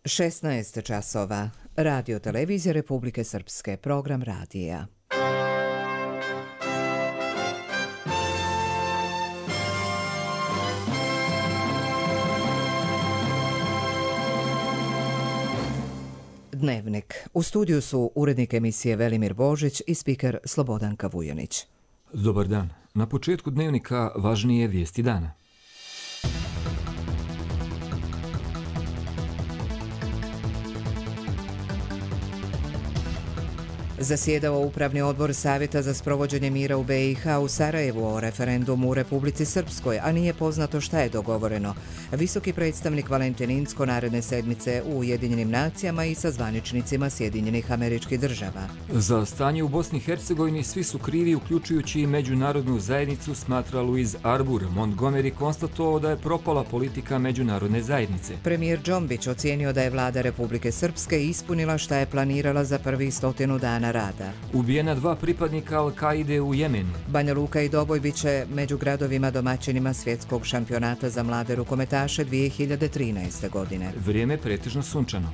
16 časova. Radio televizije Republike Srpske. Program radija. Dnevnik. U studiju su urednik emisije Velimir Božić i spiker Slobodanka Vujanić. Dobar dan. Na početku dnevnika važnije vijesti dana. Zasjedao Upravni odbor Savjeta za sprovođenje mira u BiH u Sarajevu o referendumu u Republici Srpskoj, a nije poznato šta je dogovoreno. Visoki predstavnik Valentin Incko naredne sedmice u Ujedinjenim nacijama i sa zvaničnicima Sjedinjenih Američkih Država. Za stanje u Bosni i Hercegovini svi su krivi, uključujući i međunarodnu zajednicu, smatra Louis Arbour. Montgomery konstatovao da je propala politika međunarodne zajednice. Premijer Džombić ocijenio da je vlada Republike Srpske ispunila šta je planirala za prvih 100 dana rada. Ubijena 2 pripadnika Al-Kaide u Jemenu. Banja Luka i Doboj bit će među gradovima domaćinima svjetskog šampionata za mlade rukometaše 2013. godine. Vrijeme pretežno sunčano.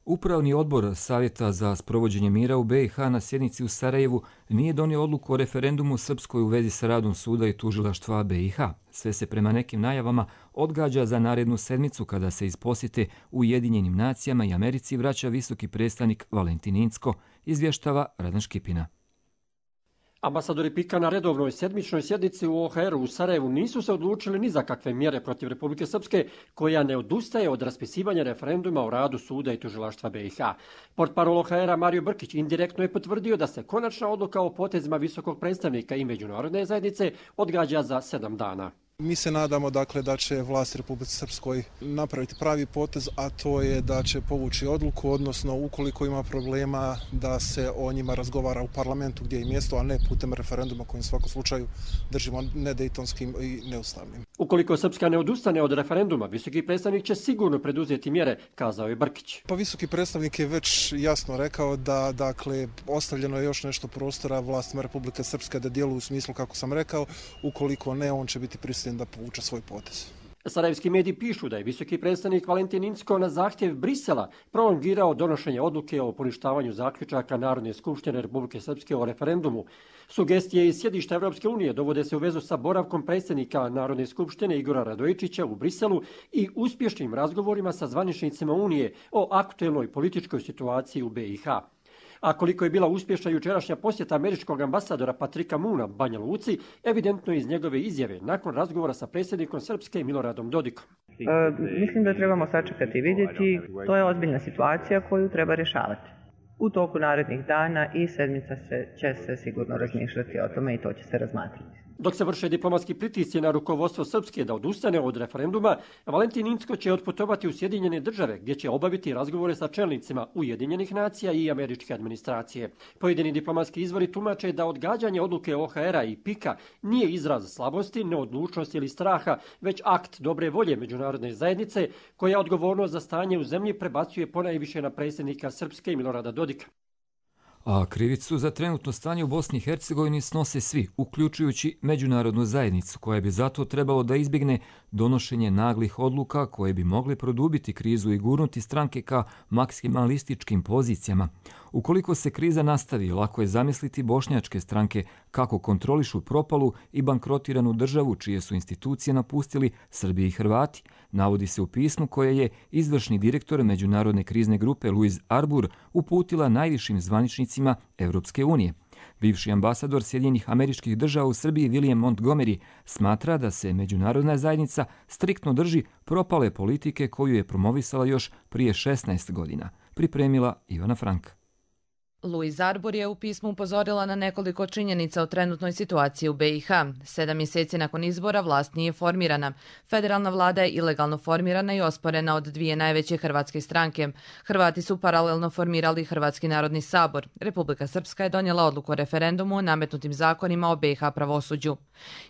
Upravni odbor Savjeta za sprovođenje mira u BiH na sjednici u Sarajevu nije donio odluku o referendumu u Srpskoj u vezi sa radom suda i tužilaštva BiH. Sve se prema nekim najavama odgađa za narednu sedmicu kada se iz posjete Ujedinjenim nacijama i Americi vraća visoki predstavnik Valentin Incko, izvještava Radan Škipina. Ambasadori PIK-a na redovnoj sedmičnoj sjednici u OHR-u u Sarajevu nisu se odlučili ni za kakve mjere protiv Republike Srpske, koja ne odustaje od raspisivanja referenduma o radu suda i tužilaštva BiH. Portparol OHR-a Mario Brkić indirektno je potvrdio da se konačna odluka o potezima visokog predstavnika i međunarodne zajednice odgađa za 7 dana. Mi se nadamo da će vlast Republike Srpskoj napraviti pravi potez, a to je da će povući odluku, odnosno ukoliko ima problema da se o njima razgovara u parlamentu gdje je mjesto, a ne putem referenduma kojim u svakom slučaju držimo nedejtonskim i neustavnim. Ukoliko Srpska ne odustane od referenduma, visoki predstavnik će sigurno preduzeti mjere, kazao je Brkić. Pa visoki predstavnik je već jasno rekao da ostavljeno je još nešto prostora vlastima Republike Srpske da djeluju u smislu kako sam rekao, ukoliko ne, on će biti prisiljen da povuče svoj potez. Sarajevski mediji pišu da je visoki predstavnik Valentin Incko na zahtjev Brisela prolongirao donošenje odluke o poništavanju zaključaka Narodne skupštine Republike Srpske o referendumu. Sugestije iz sjedišta Evropske unije dovode se u vezu sa boravkom predsjednika Narodne skupštine Igora Radojičića u Briselu i uspješnim razgovorima sa zvaničnicima Unije o aktuelnoj političkoj situaciji u BiH. A koliko je bila uspješna jučerašnja posjeta američkog ambasadora Patrika Moona Banja Luci, evidentno iz njegove izjave nakon razgovora sa predsjednikom Srpske Miloradom Dodikom. Mislim da trebamo sačekati i vidjeti. To je ozbiljna situacija koju treba rješavati. U toku narednih dana i sedmica će se sigurno razmišljati o tome i to će se razmatrati. Dok se vrše diplomatski pritisci na rukovodstvo Srpske da odustane od referenduma, Valentin Incko će otputovati u Sjedinjene Države, gdje će obaviti razgovore sa čelnicima Ujedinjenih nacija i američke administracije. Pojedini diplomatski izvori tumače da odgađanje odluke OHR-a i PIK-a nije izraz slabosti, neodlučnosti ili straha, već akt dobre volje međunarodne zajednice, koja odgovornost za stanje u zemlji prebacuje ponajviše na predsjednika Srpske Milorada Dodika. A krivicu za trenutno stanje u Bosni i Hercegovini snose svi, uključujući međunarodnu zajednicu, koja bi zato trebalo da izbjegne donošenje naglih odluka koje bi mogle produbiti krizu i gurnuti stranke ka maksimalističkim pozicijama. Ukoliko se kriza nastavi, lako je zamisliti bošnjačke stranke kako kontrolišu propalu i bankrotiranu državu čije su institucije napustili Srbi i Hrvati, navodi se u pismu koje je izvršni direktor Međunarodne krizne grupe Louis Arbour uputila najvišim zvaničnicima Evropske unije. Bivši ambasador Sjedinjenih Američkih Država u Srbiji William Montgomery smatra da se međunarodna zajednica striktno drži propale politike koju je promovisala još prije 16 godina, pripremila Ivana Frank. Louis Arbour je u pismu upozorila na nekoliko činjenica o trenutnoj situaciji u BiH. 7 mjeseci nakon izbora vlast nije formirana. Federalna vlada je ilegalno formirana i osporena od 2 najveće hrvatske stranke. Hrvati su paralelno formirali Hrvatski narodni sabor. Republika Srpska je donijela odluku o referendumu o nametnutim zakonima o BiH pravosuđu.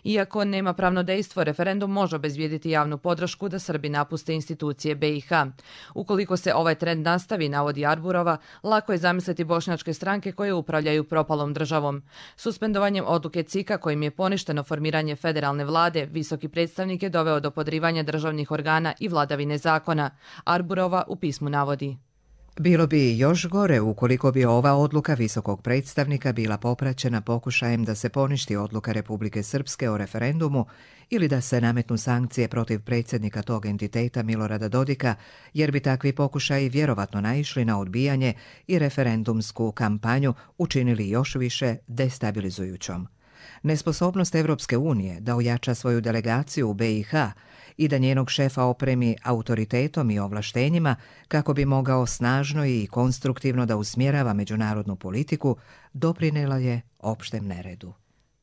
Iako nema pravno dejstvo, referendum može obezbijediti javnu podršku da Srbi napuste institucije BiH. Ukoliko se ovaj trend nastavi, navodi Arburova, lako je zamisliti bošnjačke političke stranke koje upravljaju propalom državom. Suspendovanjem odluke CIK-a kojim je poništeno formiranje federalne vlade, visoki predstavnik je doveo do podrivanja državnih organa i vladavine zakona. Arburova u pismu navodi. Bilo bi još gore ukoliko bi ova odluka visokog predstavnika bila popraćena pokušajem da se poništi odluka Republike Srpske o referendumu ili da se nametnu sankcije protiv predsjednika tog entiteta Milorada Dodika, jer bi takvi pokušaji vjerovatno naišli na odbijanje i referendumsku kampanju učinili još više destabilizujućom. Nesposobnost Evropske unije da ojača svoju delegaciju u BiH i da njenog šefa opremi autoritetom i ovlaštenjima kako bi mogao snažno i konstruktivno da usmjerava međunarodnu politiku, doprinela je opštem neredu.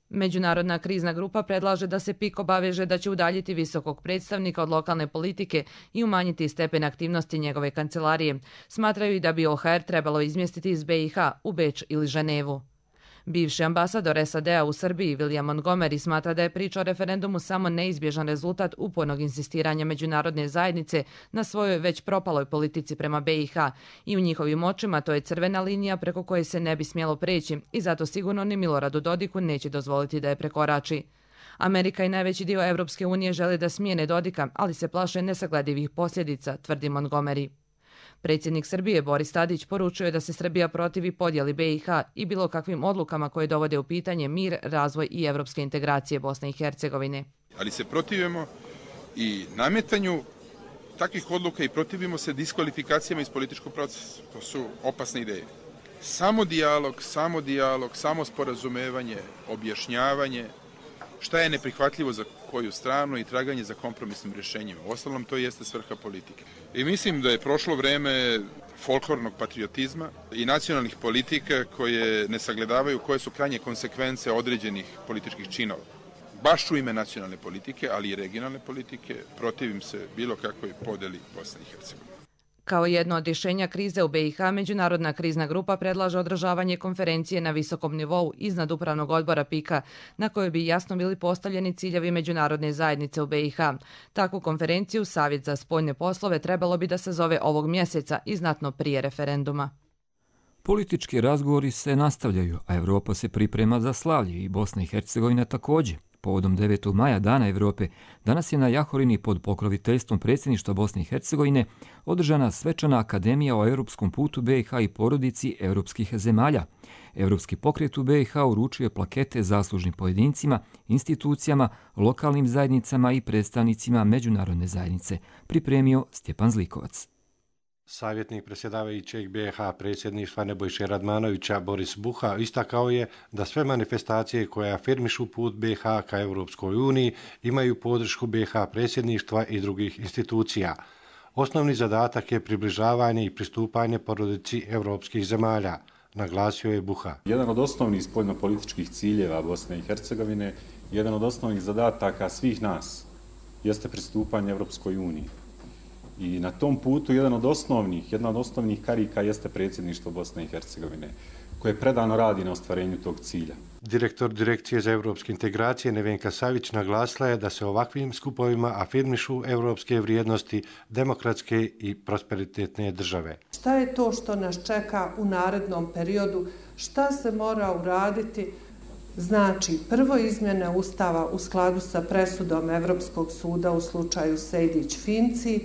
Međunarodna krizna grupa predlaže da se PIK obaveže da će udaljiti visokog predstavnika od lokalne politike i umanjiti stepen aktivnosti njegove kancelarije. Smatraju i da bi OHR trebalo izmjestiti iz BiH u Beč ili Ženevu. Bivši ambasador SAD-a u Srbiji William Montgomery smatra da je priča o referendumu samo neizbježan rezultat upornog insistiranja međunarodne zajednice na svojoj već propaloj politici prema BiH i u njihovim očima to je crvena linija preko koje se ne bi smjelo preći i zato sigurno ni Miloradu Dodiku neće dozvoliti da je prekorači. Amerika i najveći dio Evropske unije žele da smijene Dodika, ali se plaše nesagledivih posljedica, tvrdi Montgomery. Predsjednik Srbije Boris Tadić poručuje da se Srbija protivi podjeli BiH i bilo kakvim odlukama koje dovode u pitanje mir, razvoj i evropske integracije Bosne i Hercegovine. Ali se protivimo i nametanju takvih odluka i protivimo se diskvalifikacijama iz političkog procesa. To su opasne ideje. Samo dijalog, samo sporazumevanje, objašnjavanje, šta je neprihvatljivo za koju stranu i traganje za kompromisnim rješenjima. Uostalom, to jeste svrha politike. I mislim da je prošlo vreme folklornog patriotizma i nacionalnih politika koje ne sagledavaju koje su krajnje konsekvence određenih političkih činova. Baš u ime nacionalne politike, ali i regionalne politike, protivim se bilo kakvoj podeli Bosne i Hercegovine. Kao jedno od rješenja krize u BiH, Međunarodna krizna grupa predlaže održavanje konferencije na visokom nivou iznad upravnog odbora PIK-a, na kojoj bi jasno bili postavljeni ciljevi međunarodne zajednice u BiH. Takvu konferenciju Savjet za spoljne poslove trebalo bi da se zove ovog mjeseca i znatno prije referenduma. Politički razgovori se nastavljaju, a Evropa se priprema za slavlje i Bosna i Hercegovina također. Povodom 9. maja, Dana Evrope, danas je na Jahorini pod pokroviteljstvom predsjedništva Bosne i Hercegovine održana svečana akademija o europskom putu BiH i porodici europskih zemalja. Europski pokret u BiH uručio je plakete zaslužnim pojedincima, institucijama, lokalnim zajednicama i predstavnicima međunarodne zajednice, pripremio Stjepan Zlikovac. Savjetnik predsjedavajućeg BiH predsjedništva Nebojše Radmanovića Boris Buha istakao je da sve manifestacije koje afirmišu put BiH ka Europskoj uniji imaju podršku BiH predsjedništva i drugih institucija. Osnovni zadatak je približavanje i pristupanje porodici europskih zemalja, naglasio je Buha. Jedan od osnovnih spoljnopolitičkih ciljeva Bosne i Hercegovine, jedan od osnovnih zadataka svih nas jeste pristupanje Europskoj uniji. I na tom putu jedna od osnovnih karika jeste predsjedništvo Bosne i Hercegovine, koje predano radi na ostvarenju tog cilja. Direktor Direkcije za evropske integracije Nevenka Savić naglasila je da se ovakvim skupovima afirmišu evropske vrijednosti demokratske i prosperitetne države. Šta je to što nas čeka u narednom periodu? Šta se mora uraditi? Znači, prvo izmjene Ustava u skladu sa presudom Evropskog suda u slučaju Sejdić-Finci,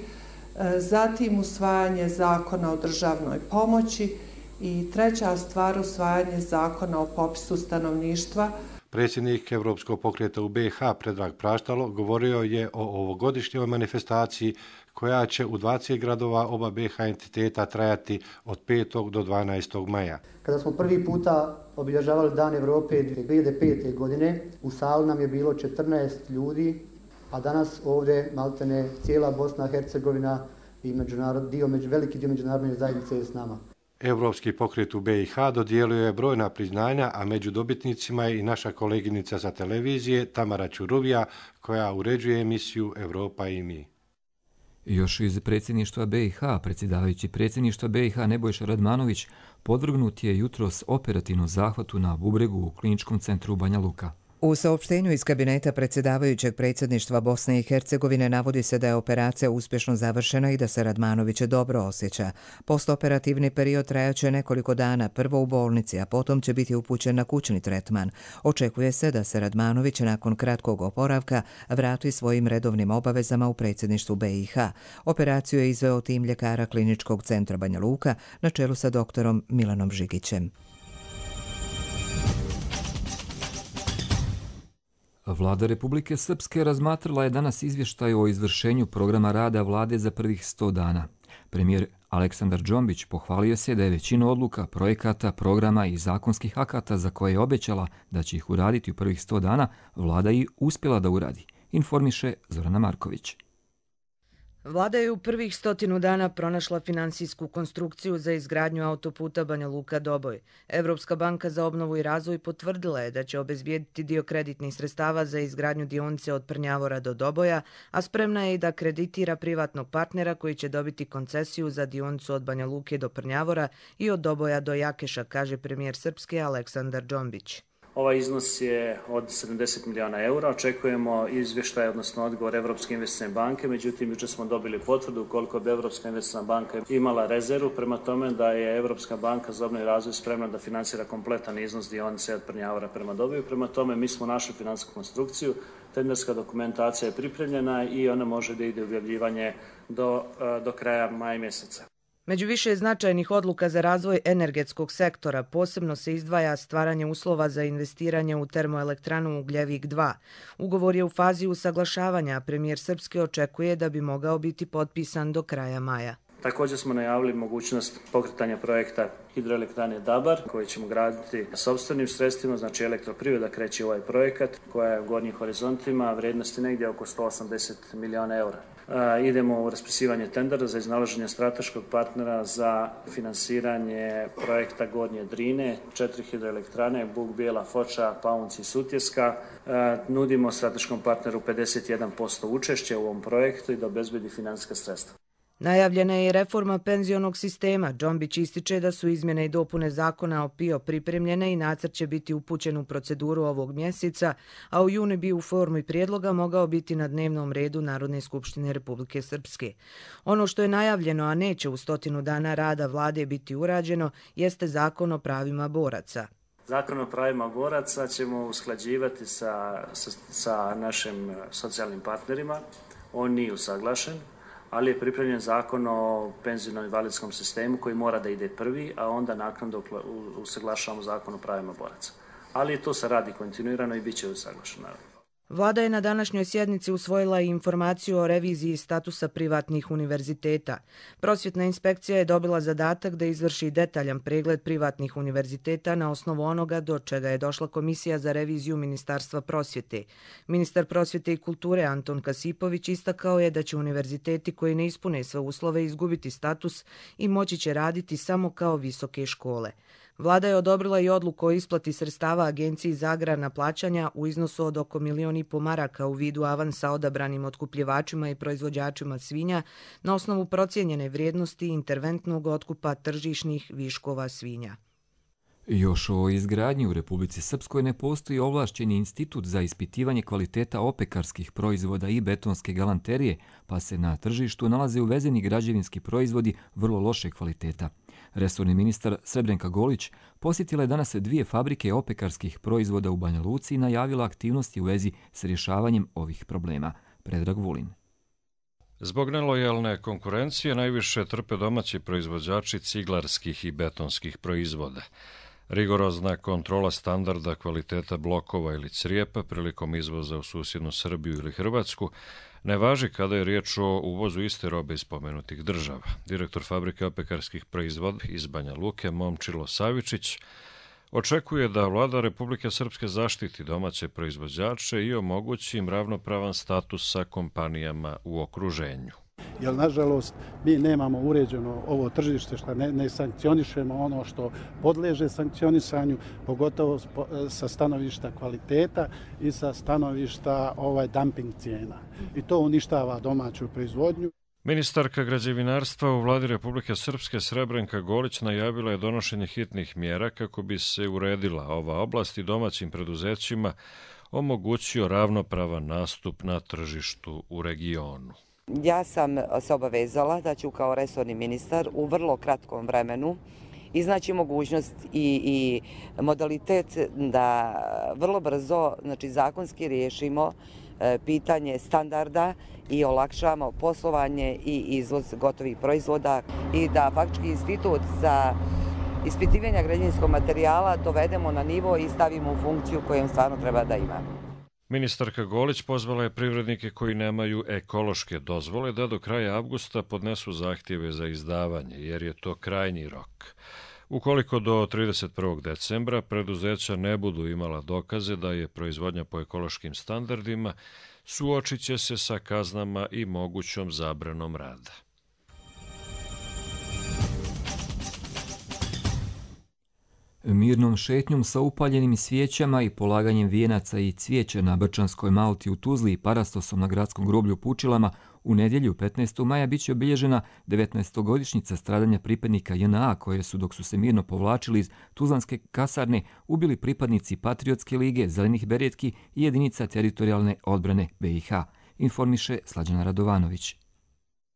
zatim usvajanje zakona o državnoj pomoći i treća stvar usvajanje zakona o popisu stanovništva. Predsjednik Evropskog pokreta u BiH Predrag Praštalo govorio je o ovogodišnjoj manifestaciji koja će u 20 gradova oba BiH entiteta trajati od 5. do 12. maja. Kada smo prvi puta obilježavali Dan Evrope 2005. godine, u sali nam je bilo 14 ljudi, a danas ovdje maltene cijela Bosna i Hercegovina i veliki dio međunarodne zajednice je s nama. Evropski pokret u BiH dodijelio je brojna priznanja, a među dobitnicima je i naša koleginica sa televizije Tamara Čuruvija, koja uređuje emisiju Evropa i mi. Još iz predsjedništva BiH, predsjedavajući predsjedništva BiH Nebojša Radmanović podvrgnut je jutros operativnom zahvatu na bubregu u kliničkom centru Banja Luka. U saopštenju iz kabineta predsjedavajućeg predsjedništva Bosne i Hercegovine navodi se da je operacija uspješno završena i da se Radmanović dobro osjeća. Postoperativni period trajaće nekoliko dana, prvo u bolnici, a potom će biti upućen na kućni tretman. Očekuje se da se Radmanović nakon kratkog oporavka vrati svojim redovnim obavezama u predsjedništvu BiH. Operaciju je izveo tim ljekara Kliničkog centra Banja Luka na čelu sa doktorom Milanom Žigićem. Vlada Republike Srpske razmatrala je danas izvještaj o izvršenju programa rada vlade za prvih 100 dana. Premijer Aleksandar Džombić pohvalio se da je većinu odluka, projekata, programa i zakonskih akata za koje je obećala da će ih uraditi u prvih 100 dana, vlada i uspjela da uradi, informiše Zorana Marković. Vlada je u prvih 100 dana pronašla finansijsku konstrukciju za izgradnju autoputa Banja Luka-Doboj. Evropska banka za obnovu i razvoj potvrdila je da će obezbijediti dio kreditnih sredstava za izgradnju dionice od Prnjavora do Doboja, a spremna je i da kreditira privatnog partnera koji će dobiti koncesiju za dionicu od Banja Luke do Prnjavora i od Doboja do Jakeša, kaže premijer Srpske Aleksandar Džombić. Ovaj iznos je od 70 miliona eura. Očekujemo izvještaj, odnosno odgovor Evropske investicione banke. Međutim, jučer smo dobili potvrdu koliko bi Evropska investiciona banka imala rezervu, prema tome da je Evropska banka za obnovu i razvoj spremna da financira kompletan iznos dionice od Prnjavora prema Doboju. Prema tome, mi smo našli finansijsku konstrukciju, tenderska dokumentacija je pripremljena i ona može da ide u objavljivanje do kraja maja mjeseca. Među više značajnih odluka za razvoj energetskog sektora posebno se izdvaja stvaranje uslova za investiranje u termoelektranu Ugljevik 2. Ugovor je u fazi usaglašavanja, a premijer Srpske očekuje da bi mogao biti potpisan do kraja maja. Također smo najavili mogućnost pokretanja projekta hidroelektrane Dabar, koji ćemo graditi sopstvenim sredstvima, znači elektroprivreda kreće ovaj projekat koja je u gornjim horizontima, vrijednosti negdje oko 180 miliona eura. Idemo u raspisivanje tendera za iznalaženje strateškog partnera za finansiranje projekta Gornje Drine, 4 hidroelektrane, Buk, Bijela, Foča, Paunci i Sutjeska. Nudimo strateškom partneru 51% učešća u ovom projektu i da obezbedi financijska sredstva. Najavljena je i reforma penzionog sistema. Džombić ističe da su izmjene i dopune zakona o PIO pripremljene i nacrt će biti upućen u proceduru ovog mjeseca, a u junu bi u formi prijedloga mogao biti na dnevnom redu Narodne skupštine Republike Srpske. Ono što je najavljeno, a neće u 100 dana rada vlade biti urađeno, jeste zakon o pravima boraca. Zakon o pravima boraca ćemo usklađivati sa našim socijalnim partnerima. On nije usaglašen, ali je pripremljen zakon o penzijnom invalidskom sistemu koji mora da ide prvi, a onda naknadno usaglašavamo zakon o pravima boraca. Ali to se radi kontinuirano i bit će usaglašeno. Vlada je na današnjoj sjednici usvojila i informaciju o reviziji statusa privatnih univerziteta. Prosvjetna inspekcija je dobila zadatak da izvrši detaljan pregled privatnih univerziteta na osnovu onoga do čega je došla Komisija za reviziju Ministarstva prosvjete. Ministar prosvjete i kulture Anton Kasipović istakao je da će univerziteti koji ne ispune sve uslove izgubiti status i moći će raditi samo kao visoke škole. Vlada je odobrila i odluku o isplati sredstava Agenciji za agrarna plaćanja u iznosu od oko 1,5 miliona maraka u vidu avansa odabranim otkupljivačima i proizvođačima svinja na osnovu procijenjene vrijednosti interventnog otkupa tržišnih viškova svinja. Još o izgradnji u Republici Srpskoj ne postoji ovlašćeni institut za ispitivanje kvaliteta opekarskih proizvoda i betonske galanterije, pa se na tržištu nalaze uvezeni građevinski proizvodi vrlo loše kvaliteta. Resorni ministar Srebrenka Golić posjetila je danas 2 fabrike opekarskih proizvoda u Banja Luci i najavila aktivnosti u vezi s rješavanjem ovih problema. Predrag Vulin. Zbog nelojalne konkurencije najviše trpe domaći proizvođači ciglarskih i betonskih proizvoda. Rigorozna kontrola standarda kvaliteta blokova ili crijepa prilikom izvoza u susjednu Srbiju ili Hrvatsku ne važi kada je riječ o uvozu iste robe iz spomenutih država. Direktor fabrike opekarskih proizvoda iz Banja Luke, Momčilo Savičić, očekuje da Vlada Republike Srpske zaštiti domaće proizvođače i omogući im ravnopravan status sa kompanijama u okruženju. Jer, nažalost, mi nemamo uređeno ovo tržište, što ne sankcionišemo ono što podleže sankcionisanju, pogotovo sa stanovišta kvaliteta i sa stanovišta dumping cijena. I to uništava domaću proizvodnju. Ministarka građevinarstva u Vladi Republike Srpske Srebrenka Golić najavila je donošenje hitnih mjera kako bi se uredila ova oblast i domaćim preduzećima omogućio ravnopravan nastup na tržištu u regionu. Ja sam se obavezala da ću kao resorni ministar u vrlo kratkom vremenu iznaći mogućnost i modalitet da vrlo brzo, znači zakonski riješimo pitanje standarda i olakšamo poslovanje i izvoz gotovih proizvoda i da faktički institut za ispitivanje građevinskog materijala dovedemo na nivo i stavimo u funkciju koju on stvarno treba da ima. Ministarka Golić pozvala je privrednike koji nemaju ekološke dozvole da do kraja avgusta podnesu zahtjeve za izdavanje, jer je to krajnji rok. Ukoliko do 31. decembra preduzeća ne budu imala dokaze da je proizvodnja po ekološkim standardima, suočit će se sa kaznama i mogućom zabranom rada. Mirnom šetnjom sa upaljenim svijećama i polaganjem vijenaca i cvijeća na Brčanskoj Malti u Tuzli i parastosom na gradskom groblju u Pučilama u nedjelju 15. maja bit će obilježena 19-godišnjica stradanja pripadnika JNA koje su, dok su se mirno povlačili iz Tuzlanske kasarne, ubili pripadnici Patriotske lige, Zelenih beretki i jedinica teritorijalne odbrane BiH, informiše Slađana Radovanović.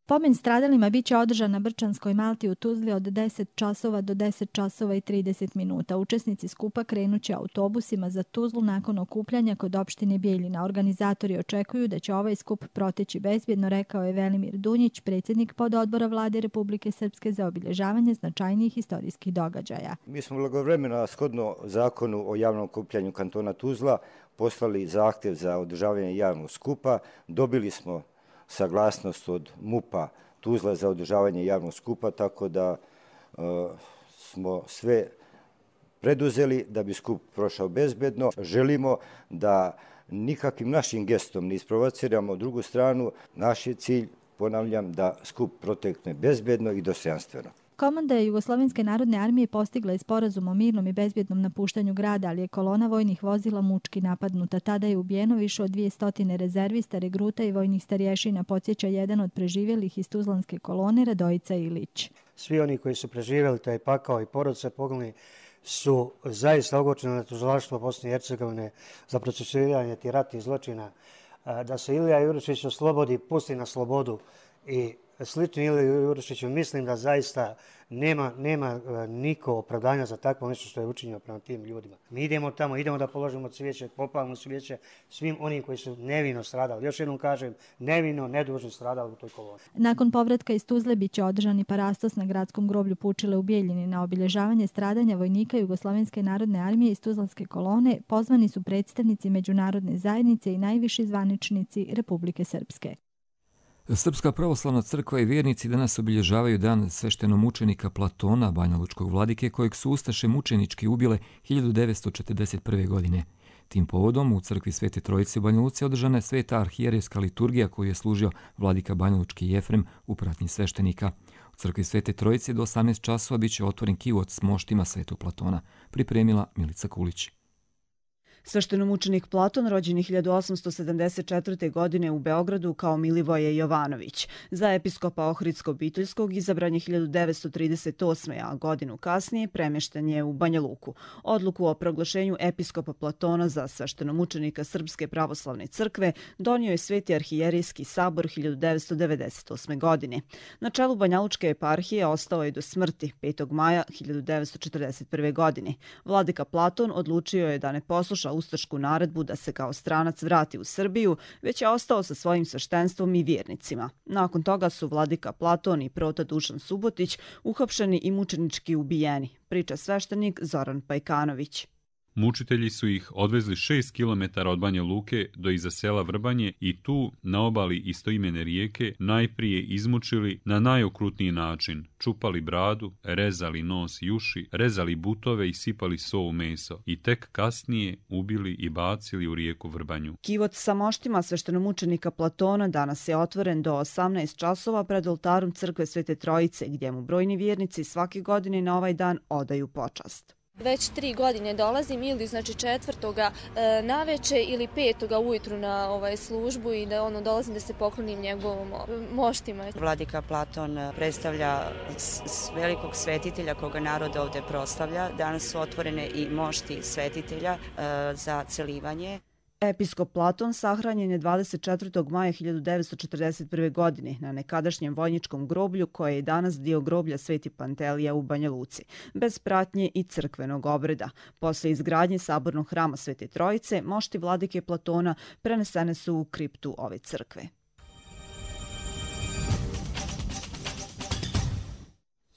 Pomen stradalima bit će održan na Brčanskoj Malti u Tuzli od 10 časova do 10 časova i 30 minuta. Učesnici skupa krenuće autobusima za Tuzlu nakon okupljanja kod opštine Bijeljina. Organizatori očekuju da će ovaj skup proteći bezbjedno, rekao je Velimir Dunjić, predsjednik pododbora Vlade Republike Srpske za obilježavanje značajnijih historijskih događaja. Mi smo blagovremeno, shodno zakonu o javnom okupljanju kantona Tuzla, poslali zahtjev za održavanje javnog skupa. Dobili smo saglasnost od MUP-a Tuzla za održavanje javnog skupa, tako da smo sve preduzeli da bi skup prošao bezbedno. Želimo da nikakvim našim gestom ne isprovociramo drugu stranu. Naš je cilj, ponavljam, da skup protekne bezbedno i dostojanstveno. Komanda Jugoslovenske narodne armije postigla je sporazum o mirnom i bezbjednom napuštanju grada, ali je kolona vojnih vozila mučki napadnuta. Tada je ubijeno više od 200 rezervista, regruta i vojnih starješina, podsjeća jedan od preživjelih iz Tuzlanske kolone, Radojica Ilić. Svi oni koji su preživjeli taj pakao i porodice poginulih su zaista ogorčeni na tužilaštvo Bosne i Hercegovine za procesuiranje tih ratnih zločina. Da se Ilija Jurišić oslobodi, pusti na slobodu i slično Iliju Jurišiću, mislim da zaista nema niko opravdanja za takvo nešto što je učinjeno prema tim ljudima. Mi idemo tamo, idemo da položimo cvijeće, popalimo cvijeće svim onim koji su nevino stradali. Još jednom kažem, nevino, nedužno stradali u toj koloni. Nakon povratka iz Tuzle biće održan i parastos na gradskom groblju Pučile u Bijeljini. Na obilježavanje stradanja vojnika Jugoslovenske narodne armije iz Tuzlanske kolone pozvani su predstavnici međunarodne zajednice i najviši zvaničnici Republike Srpske. Srpska pravoslavna crkva i vjernici danas obilježavaju dan sveštenomučenika Platona, banjalučkog vladike, kojeg su ustaše mučenički ubile 1941. godine. Tim povodom u crkvi Svete Trojice u Banja Luci održana je sveta arhijerejska liturgija koju je služio vladika banjalučki Jefrem u pratnji sveštenika. U crkvi Svete Trojice do 18 časova bit će otvoren kivot s moštima Svetog Platona, pripremila Milica Kulić. Sveštenomučenik Platon rođen 1874. godine u Beogradu kao Milivoje Jovanović. Za episkopa Ohridsko-Bitoljskog izabran je 1938. a godinu kasnije premješten je u Banja Luku. Odluku o proglašenju episkopa Platona za sveštenomučenika Srpske pravoslavne crkve donio je Sveti arhijerejski sabor 1998. godine. Na čelu Banjalučke eparhije ostao je do smrti 5. maja 1941. godine. Vladika Platon odlučio je da ne posluša ustašku naredbu da se kao stranac vrati u Srbiju, već je ostao sa svojim sveštenstvom i vjernicima. Nakon toga su vladika Platon i prota Dušan Subotić uhapšeni i mučenički ubijeni, priča sveštenik Zoran Pajkanović. Mučitelji su ih odvezli 6 km od Banja Luke do iza sela Vrbanje i tu, na obali istoimene rijeke, najprije izmučili na najokrutniji način. Čupali bradu, rezali nos i uši, rezali butove i sipali so u meso. I tek kasnije ubili i bacili u rijeku Vrbanju. Kivot sa moštima sveštenomučenika Platona danas je otvoren do 18 časova pred oltarom crkve Svete Trojice, gdje mu brojni vjernici svake godine na ovaj dan odaju počast. Već 3 godine dolazim ili znači 4. naveče ili 5. ujutru na službu i da dolazim da se poklonim njegovom moštima. Vladika Platon predstavlja velikog svetitelja koga narod ovdje proslavlja. Danas su otvorene i mošti svetitelja za celivanje. Episkop Platon sahranjen je 24. maja 1941. godine na nekadašnjem vojničkom groblju koje je danas dio groblja Sveti Pantelija u Banja Luci, bez pratnje i crkvenog obreda. Posle izgradnje sabornog hrama Svete Trojice, mošti vladike Platona prenesene su u kriptu ove crkve.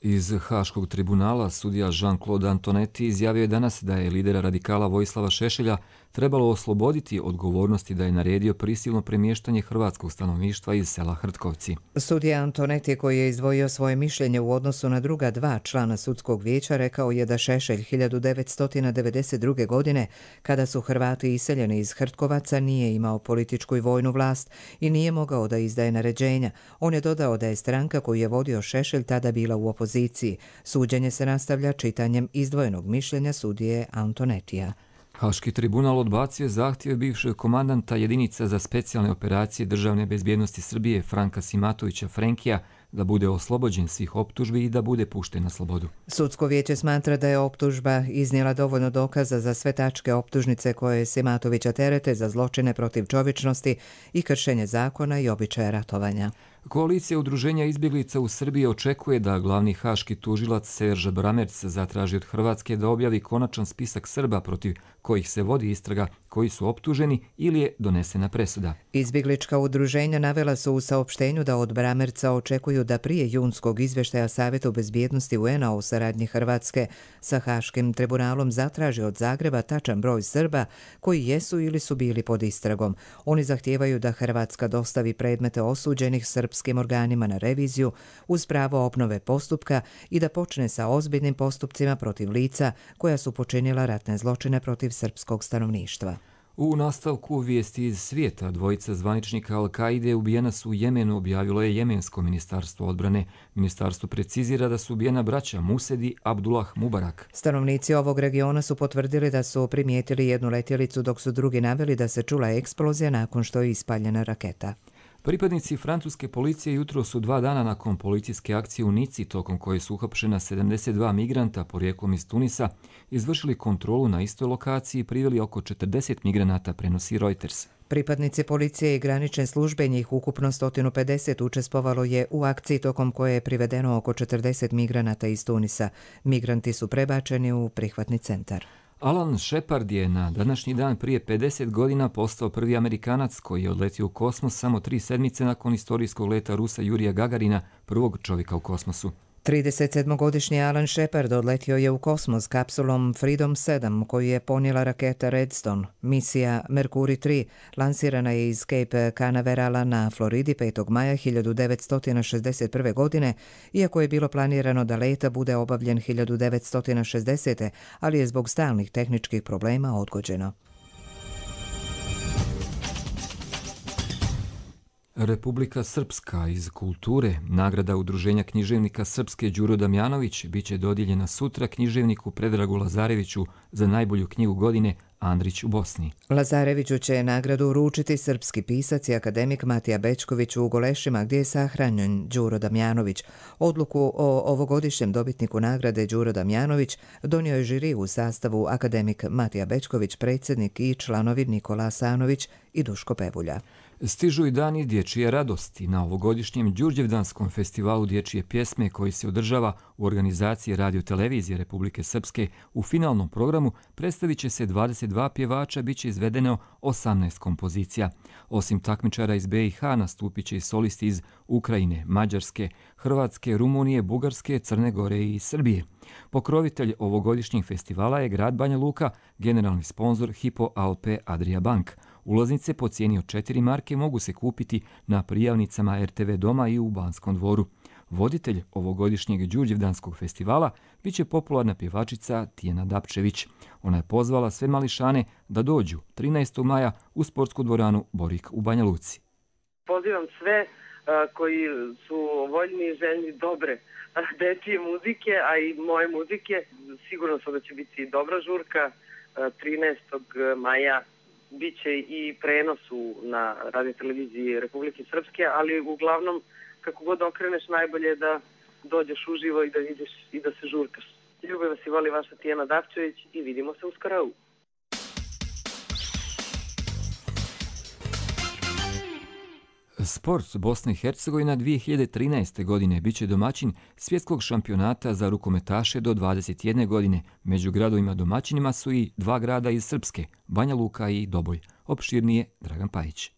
Iz Haškog tribunala sudija Jean-Claude Antonetti izjavio je danas da je lidera radikala Vojislava Šešelja trebalo osloboditi odgovornosti da je naredio prisilno premještanje hrvatskog stanovništva iz sela Hrtkovci. Sudija Antonetti, koji je izdvojio svoje mišljenje u odnosu na druga dva člana sudskog vijeća, rekao je da Šešelj 1992. godine, kada su Hrvati iseljeni iz Hrtkovaca, nije imao političku i vojnu vlast i nije mogao da izdaje naređenja. On je dodao da je stranka koju je vodio Šešelj tada bila u opoziciji. Suđenje se nastavlja čitanjem izdvojenog mišljenja sudije Antonettija. Haški tribunal odbacio zahtjeve bivšeg komandanta jedinica za specijalne operacije državne bezbjednosti Srbije Franka Simatovića Frenkija da bude oslobođen svih optužbi i da bude pušten na slobodu. Sudsko vijeće smatra da je optužba iznijela dovoljno dokaza za sve tačke optužnice koje Simatovića terete za zločine protiv čovječnosti i kršenje zakona i običaja ratovanja. Koalicija udruženja izbjeglica u Srbiji očekuje da glavni haški tužilac Serge Bramerc zatraži od Hrvatske da objavi konačan spisak Srba protiv kojih se vodi istraga, koji su optuženi ili je donesena presuda. Izbjeglička udruženja navela su u saopštenju da od Bramerca očekuju da prije junskog izvještaja Savjeta bezbjednosti UN-a o saradnji Hrvatske sa Haškim tribunalom zatraži od Zagreba tačan broj Srba koji jesu ili su bili pod istragom. Oni zahtijevaju da Hrvatska dostavi predmete osuđenih srpskim organima na reviziju uz pravo obnove postupka i da počne sa ozbiljnim postupcima protiv lica koja su počinila ratne zločine protiv srpskog stanovništva. U nastavku vijesti iz svijeta, dvojica zvaničnika Al-Kaide ubijena su u Jemenu, objavilo je Jemensko ministarstvo odbrane. Ministarstvo precizira da su ubijena braća Musedi Abdullah Mubarak. Stanovnici ovog regiona su potvrdili da su primijetili jednu letjelicu, dok su drugi naveli da se čula eksplozija nakon što je ispaljena raketa. Pripadnici francuske policije jutro su 2 dana nakon policijske akcije u Nici, tokom koje su uhapšena 72 migranta porijeklom iz Tunisa, izvršili kontrolu na istoj lokaciji i priveli oko 40 migranata, prenosi Reuters. Pripadnici policije i granične službe, njih ukupno 150, učestvovalo je u akciji tokom koje je privedeno oko 40 migranata iz Tunisa. Migranti su prebačeni u prihvatni centar. Alan Shepard je na današnji dan prije 50 godina postao prvi Amerikanac koji je odletio u kosmos samo 3 sedmice nakon istorijskog leta Rusa Jurija Gagarina, prvog čovjeka u kosmosu. 37-godišnji Alan Shepard odletio je u kosmos kapsulom Freedom 7 koju je ponijela raketa Redstone. Misija Mercury 3 lansirana je iz Cape Canaverala na Floridi 5. maja 1961. godine, iako je bilo planirano da leta bude obavljen 1960. ali je zbog stalnih tehničkih problema odgođeno. Republika Srpska iz kulture, nagrada Udruženja književnika Srpske Đuro Damjanović, bit će dodijeljena sutra književniku Predragu Lazareviću za najbolju knjigu godine Andrić u Bosni. Lazareviću će nagradu uručiti srpski pisac i akademik Matija Bečković u Golešima, gdje je sahranjen Đuro Damjanović. Odluku o ovogodišnjem dobitniku nagrade Đuro Damjanović donio je žiri u sastavu akademik Matija Bečković, predsjednik i članovi Nikola Asanović i Duško Pevulja. Stižu i dani dječje radosti. Na ovogodišnjem Đurđevdanskom festivalu dječje pjesme koji se održava u organizaciji Radio-televizije Republike Srpske u finalnom programu predstavit će se 22 pjevača, bit će izvedeno 18 kompozicija. Osim takmičara iz BiH nastupit će i solisti iz Ukrajine, Mađarske, Hrvatske, Rumunije, Bugarske, Crne Gore i Srbije. Pokrovitelj ovogodišnjeg festivala je grad Banja Luka, generalni sponzor Hypo Alpe Adria Bank. Ulaznice po cijeni od 4 marke mogu se kupiti na prijavnicama RTV Doma i u Banskom dvoru. Voditelj ovogodišnjeg Đurđevdanskog festivala bit će popularna pjevačica Tijena Dapčević. Ona je pozvala sve mališane da dođu 13. maja u sportsku dvoranu Borik u Banja Luci. Pozivam sve koji su voljni i željni dobre dečije muzike, a i moje muzike. Sigurno sam da će biti dobra žurka 13. maja. Biće i prenos na Radio-televiziji Republike Srpske, ali uglavnom kako god okreneš najbolje je da dođeš uživo i da vidiš i da se žurkaš. Ljubav vas i voli vaša Tijena Dapčević i vidimo se uskoro. Sport Bosna i Hercegovina 2013. godine biće domaćin svjetskog šampionata za rukometaše do 21 godine. Među gradovima domaćinima su i 2 grada iz Srpske, Banja Luka i Doboj. Opširnije Dragan Pajić.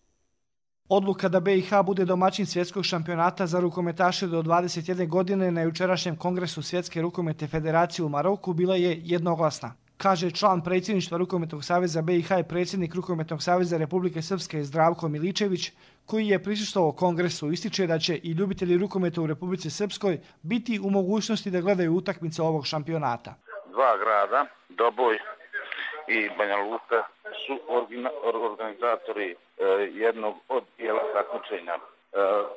Odluka da BiH bude domaćin svjetskog šampionata za rukometaše do 21 godine na jučerašnjem kongresu Svjetske rukometne federacije u Maroku bila je jednoglasna. Kaže član predsjedništva Rukometnog saveza BiH i predsjednik Rukometnog saveza Republike Srpske Zdravko Miličević, koji je prisustvovao kongresu, ističe da će i ljubitelji rukometa u Republici Srpskoj biti u mogućnosti da gledaju utakmice ovog šampionata. 2 grada, Doboj i Banja Luka, su organizatori jednog od dijela takmičenja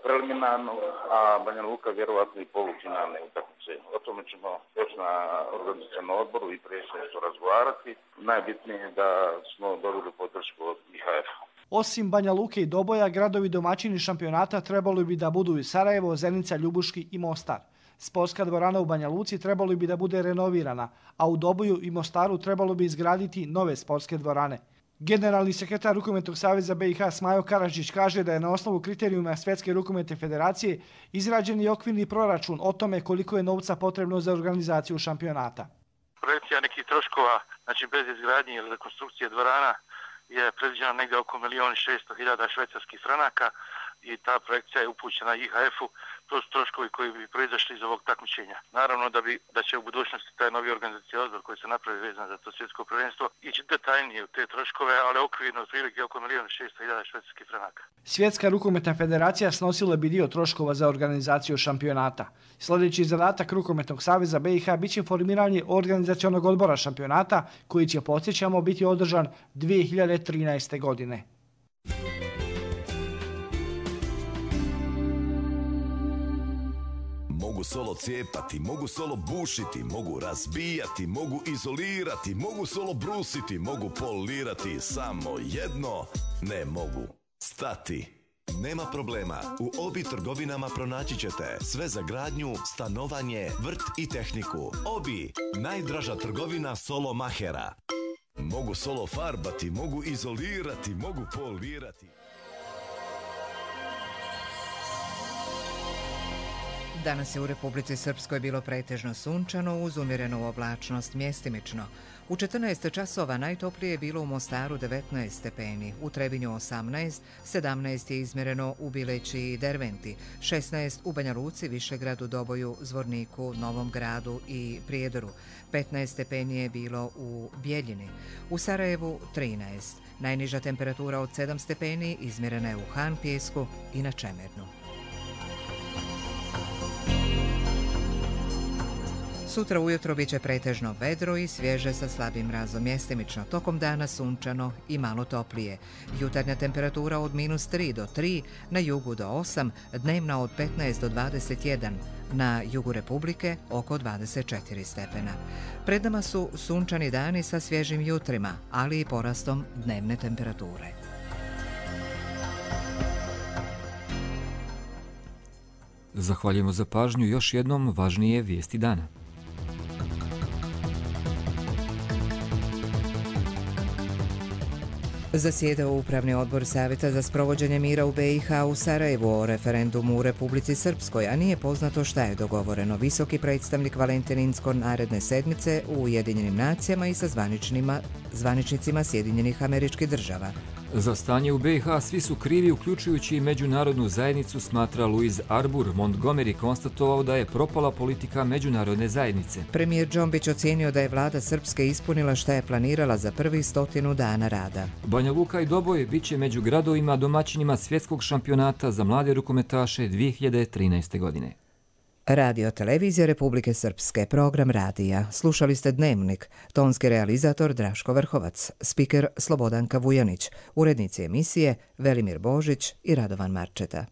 preliminarnog, a Banja Luka vjerovatno i polufinalne utakmice. O tome ćemo još na organizacionom odboru i predsjedništvu razgovarati. Najbitnije je da smo dobili podršku od IHF. Osim Banja Luke i Doboja, gradovi domaćini šampionata trebali bi da budu i Sarajevo, Zenica, Ljubuški i Mostar. Sportska dvorana u Banja Luci trebalo bi da bude renovirana, a u Doboju i Mostaru trebalo bi izgraditi nove sportske dvorane. Generalni sekretar Rukometnog saveza BiH Smajo Karadžić kaže da je na osnovu kriterijuma Svjetske rukometne federacije izrađen i okvirni proračun o tome koliko je novca potrebno za organizaciju šampionata. Projekcija nekih troškova, znači bez izgradnje ili rekonstrukcije dvorana, je predviđena negdje oko 1.600.000 švajcarskih franaka i ta projekcija je upućena IHF-u. To su troškovi koji bi proizašli iz ovog takmičenja. Naravno da će u budućnosti taj novi organizacijski odbor koji se napravi vezan za to svjetsko prvenstvo ići detaljnije u te troškove, ali okvirno otprilike oko 1.600.000 švajcarskih franaka. Svjetska rukometna federacija snosila bi dio troškova za organizaciju šampionata. Sljedeći zadatak Rukometnog saveza BiH biće formiranje organizacionog odbora šampionata koji će, podsjećamo, biti održan 2013. godine. Mogu solo cijepati, mogu solo bušiti, mogu razbijati, mogu izolirati, mogu solo brusiti, mogu polirati, samo jedno ne mogu stati. Nema problema, u Obi trgovinama pronaći ćete sve za gradnju, stanovanje, vrt i tehniku. Obi, najdraža trgovina solo mahera. Mogu solo farbati, mogu izolirati, mogu polirati. Danas je u Republici Srpskoj bilo pretežno sunčano uz umjerenu oblačnost mjestimično. U 14 časova najtoplije je bilo u Mostaru 19 stepeni, u Trebinju 18, 17 je izmjereno u Bileći i Derventi, 16 u Banja Luci, Višegradu, Doboju, Zvorniku, Novom Gradu i Prijedoru, 15 stepeni je bilo u Bjeljini, u Sarajevu 13. Najniža temperatura od 7 stepeni izmjerena je u Han Pjesku i na Čemernu. Sutra ujutro biće pretežno vedro i svježe sa slabim mrazom mjestimično. Tokom dana sunčano i malo toplije. Jutarnja temperatura od -3 do 3, na jugu do 8, dnevna od 15 do 21, na jugu Republike oko 24 stepena. Pred nama su sunčani dani sa svježim jutrima, ali i porastom dnevne temperature. Zahvaljujemo za pažnju, još jednom važnije vijesti dana. Zasjedao Upravni odbor Savjeta za sprovođenje mira u BiH u Sarajevu o referendumu u Republici Srpskoj, a nije poznato šta je dogovoreno. Visoki predstavnik Valentin Inzko naredne sedmice u Ujedinjenim nacijama i sa zvaničnicima Sjedinjenih Američkih Država. Za stanje u BiH svi su krivi, uključujući i međunarodnu zajednicu, smatra Louis Arbour. Montgomery konstatovao da je propala politika međunarodne zajednice. Premijer Džombić ocijenio da je vlada Srpske ispunila šta je planirala za prvih 100 dana rada. Banja Luka i Doboj biće među gradovima domaćinima svjetskog šampionata za mlade rukometaše 2013. godine. Radio Televizija Republike Srpske, program radija. Slušali ste Dnevnik, tonski realizator Draško Vrhovac, spiker Slobodanka Vujanić, urednici emisije Velimir Božić i Radovan Marčeta.